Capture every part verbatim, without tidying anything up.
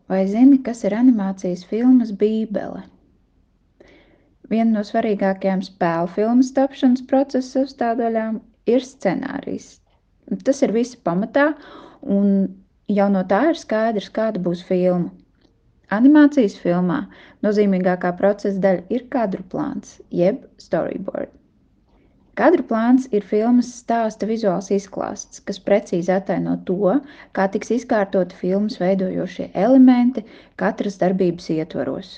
Vai zini, kas ir animācijas filmas Bībele? Viena no svarīgākajām spēļu filmas tapšanas procesa sastāvdaļām ir scenārijs. Tas ir visa pamatā, un jau no tā ir skaidrs, kāda būs filma. Animācijas filmā nozīmīgākā procesa daļa ir kadru plāns, jeb storyboard. Kadru plāns ir filmas stāsta vizuāls izklāsts, kas precīzi attaino to, kā tiks izkārtoti filmas veidojošie elementi katras darbības ietvaros.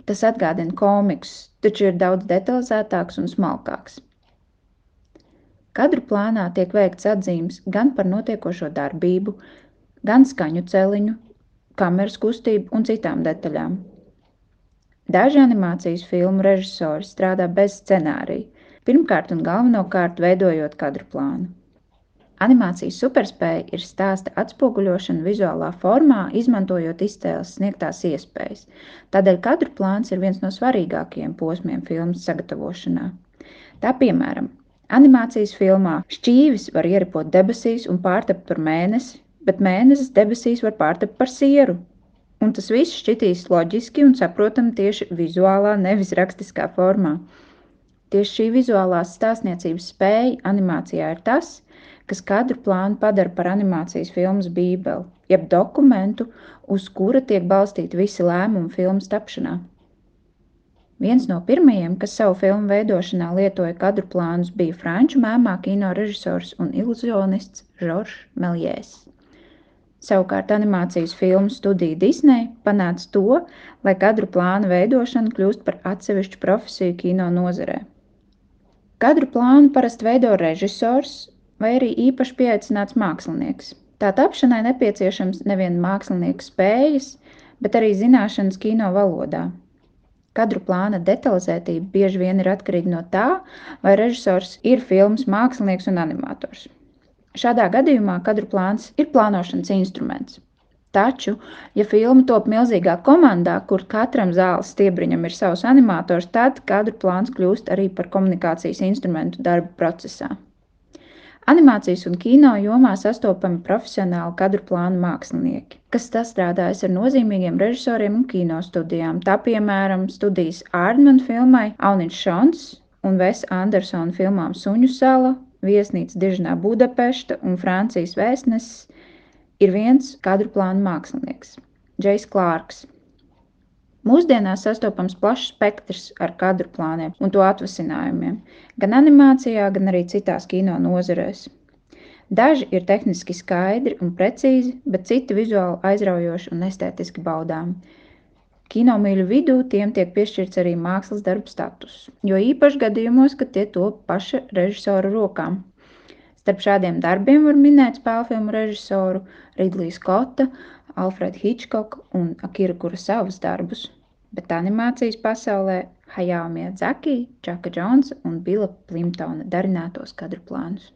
Tas atgādina komiksus, taču ir daudz detalizētāks un smalkāks. Kadru plānā tiek veikts atzīmes gan par notiekošo darbību, gan skaņu celiņu, kameras kustību un citām detaļām. Daži animācijas filmu režisori strādā bez scenārija, pirmkārt un galvenokārt veidojot kadru plānu. Animācijas superspēja ir stāsta atspoguļošana vizuālā formā, izmantojot iztēles sniegtās iespējas. Tādēļ kadru plāns ir viens no svarīgākajiem posmiem filmas sagatavošanā. Tā piemēram, animācijas filmā šķīvis var ieripot debesīs un pārtapt par mēnesi, bet mēnesis debesīs var pārtapt par sieru. Un tas viss šķitīs loģiski un saprotami tieši vizuālā, nevis rakstiskā formā. Tieši šī vizuālās stāstniecības spēja animācijā ir tas, kas kadru plānu padara par animācijas filmas bībeli, jeb dokumentu, uz kura tiek balstīti visi lēmumi filmas tapšanā. Viens no pirmajiem, kas savu filmu veidošanā lietoja kadru plānus, bija franču mēmā kino režisors un iluzionists Žoržs Meljēs. Savukārt animācijas filmu studija Disney panāca to, lai kadru plānu veidošana kļūst par atsevišķu profesiju kino nozarē. Kadru plānu parasti veido režisors vai arī īpaši pieaicināts mākslinieks. Tā tapšanai nepieciešams nevien mākslinieka spējas, bet arī zināšanas kino valodā. Kadru plāna detalizētība bieži vien ir atkarīga no tā, vai režisors ir filmas mākslinieks un animators. Šādā gadījumā kadru plāns ir plānošanas instruments. Taču, ja filma top milzīgā komandā, kur katram zāles stiebriņam ir savs animators, tad kadru plāns kļūst arī par komunikācijas instrumentu darba procesā. Animācijas un kino jomā sastopami profesionāli kadru plānu mākslinieki, kas sastrādājas ar nozīmīgiem režisoriem un kino studijām. Tā piemēram studijas Aardman filmai Auniņš Šons un Vesa Andersona filmām Suņu sala, Viesnīca Dižnā Budapešta un Francijas vēstnesis ir viens kadru plānu mākslinieks – Džejs Klārks. Mūsdienās sastopams plašs spektrs ar kadru plāniem un to atvasinājumiem, gan animācijā, gan arī citās kino nozarēs. Daži ir tehniski skaidri un precīzi, bet citi vizuāli aizraujoši un estētiski baudāmi. Kinomīļu vidū tiem tiek piešķirts arī mākslas darba status, jo īpaši gadījumos, kad tie top paša režisora rokām. Starp šādiem darbiem var minēt spēlfilmu režisoru Ridliju Skotta, Alfredu Hičkoku un Akira Kurosavas darbus, bet animācijas pasaulē Hayao Miyazaki, Čaka Džonsa un Bila Plimtona darinātos kadru plānus.